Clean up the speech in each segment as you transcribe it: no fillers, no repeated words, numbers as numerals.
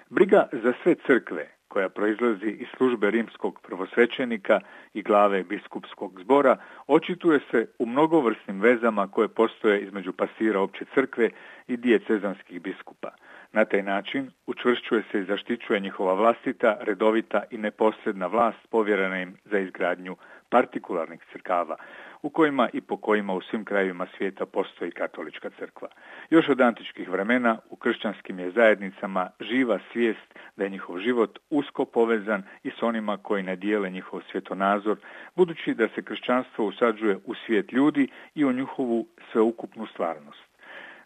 Briga za sve crkve, koja proizlazi iz službe rimskog prvosvećenika i glave biskupskog zbora, očituje se u mnogovrsnim vezama koje postoje između pastira opće crkve i dijecezanskih biskupa. Na taj način učvršćuje se i zaštićuje njihova vlastita, redovita i neposredna vlast povjerena im za izgradnju partikularnih crkava, u kojima i po kojima u svim krajevima svijeta postoji katolička crkva. Još od antičkih vremena u kršćanskim je zajednicama živa svijest da je njihov život usko povezan i s onima koji ne dijele njihov svjetonazor, budući da se kršćanstvo usađuje u svijet ljudi i u njihovu sveukupnu stvarnost.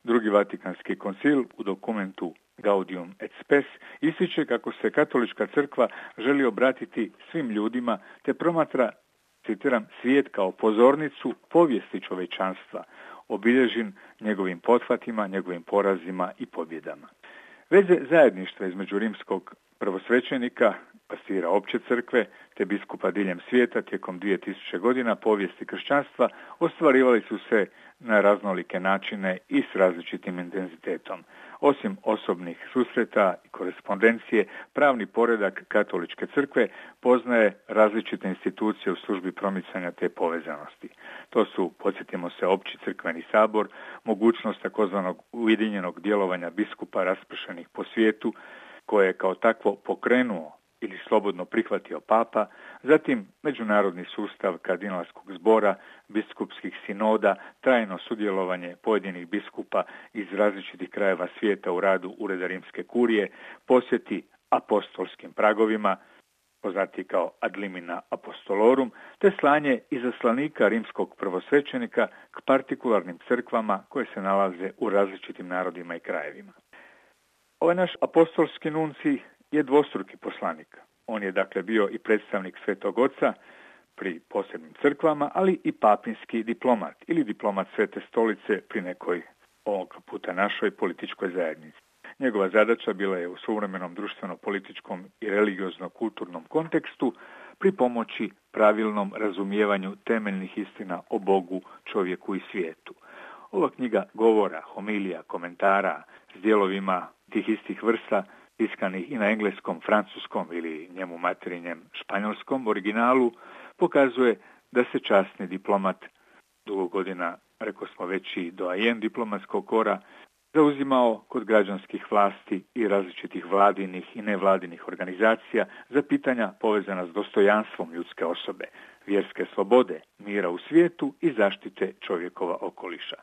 Drugi Vatikanski koncil u dokumentu Gaudium et Spes ističe kako se katolička crkva želi obratiti svim ljudima te promatra, citiram, svijet kao pozornicu povijesti čovječanstva, obilježen njegovim pothvatima, njegovim porazima i pobjedama. Veze zajedništva između rimskog prvosvećenika, pastira opće crkve, te biskupa diljem svijeta tijekom 2000 godina povijesti kršćanstva ostvarivali su se na raznolike načine i s različitim intenzitetom. Osim osobnih susreta i korespondencije, pravni poredak katoličke crkve poznaje različite institucije u službi promicanja te povezanosti. To su, podsjetimo se, opći crkveni sabor, mogućnost takozvanog ujedinjenog djelovanja biskupa raspršenih po svijetu, koje je kao takvo pokrenuo ili slobodno prihvatio papa, zatim međunarodni sustav kardinalskog zbora, biskupskih sinoda, trajno sudjelovanje pojedinih biskupa iz različitih krajeva svijeta u radu Ureda rimske kurije, posjeti apostolskim pragovima, poznati kao ad limina apostolorum, te slanje izaslanika rimskog prvosvećenika k partikularnim crkvama koje se nalaze u različitim narodima i krajevima. Ovaj naš apostolski nuncij je dvostruki poslanik. On je dakle bio i predstavnik Svetog Oca pri posebnim crkvama, ali i papinski diplomat ili diplomat Svete stolice pri nekoj, ovoga puta našoj, političkoj zajednici. Njegova zadaća bila je u suvremenom društveno-političkom i religiozno-kulturnom kontekstu pri pomoći pravilnom razumijevanju temeljnih istina o Bogu, čovjeku i svijetu. Ova knjiga govora, homilija, komentara s dijelovima tih istih vrsta tiskanih i na engleskom, francuskom ili njemu materinjem španjolskom originalu, pokazuje da se časni diplomat, dugo godina, rekao smo već i doajen diplomatskog kora, zauzimao kod građanskih vlasti i različitih vladinih i nevladinih organizacija za pitanja povezana s dostojanstvom ljudske osobe, vjerske slobode, mira u svijetu i zaštite čovjekova okoliša.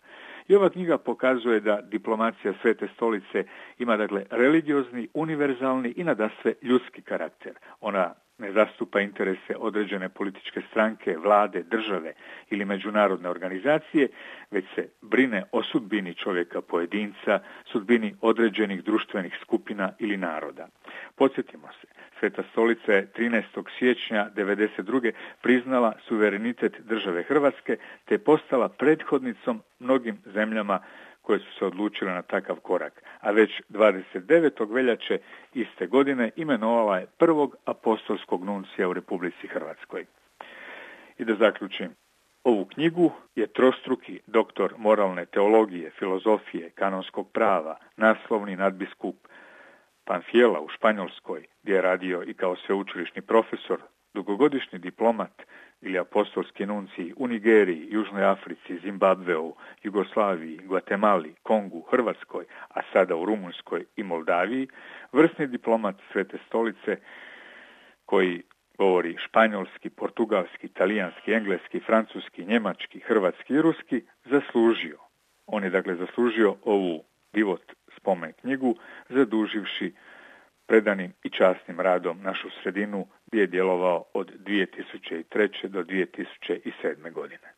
I ova knjiga pokazuje da diplomacija Svete stolice ima dakle religiozni, univerzalni i nadasve ljudski karakter. Ona ne zastupa interese određene političke stranke, vlade, države ili međunarodne organizacije, već se brine o sudbini čovjeka pojedinca, sudbini određenih društvenih skupina ili naroda. Podsjetimo se, Sveta stolica je 13. siječnja 1992. priznala suverenitet države Hrvatske te je postala prethodnicom mnogim zemljama koje su se odlučile na takav korak, a već 29. veljače iste godine imenovala je prvog apostolskog nuncija u Republici Hrvatskoj. I da zaključim, ovu knjigu je trostruki doktor moralne teologije, filozofije, kanonskog prava, naslovni nadbiskup Panfiela u Španjolskoj, gdje je radio i kao sveučilišni profesor, dugogodišnji diplomat ili apostolski nuncij u Nigeriji, Južnoj Africi, Zimbabveu, Jugoslaviji, Gvatemali, Kongu, Hrvatskoj, a sada u Rumunjskoj i Moldaviji, vrsni diplomat Svete stolice koji govori španjolski, portugalski, talijanski, engleski, francuski, njemački, hrvatski i ruski, zaslužio. On je dakle zaslužio ovu divot spomen knjigu, zaduživši predanim i časnim radom našu sredinu gdje je djelovao od 2003. do 2007. godine.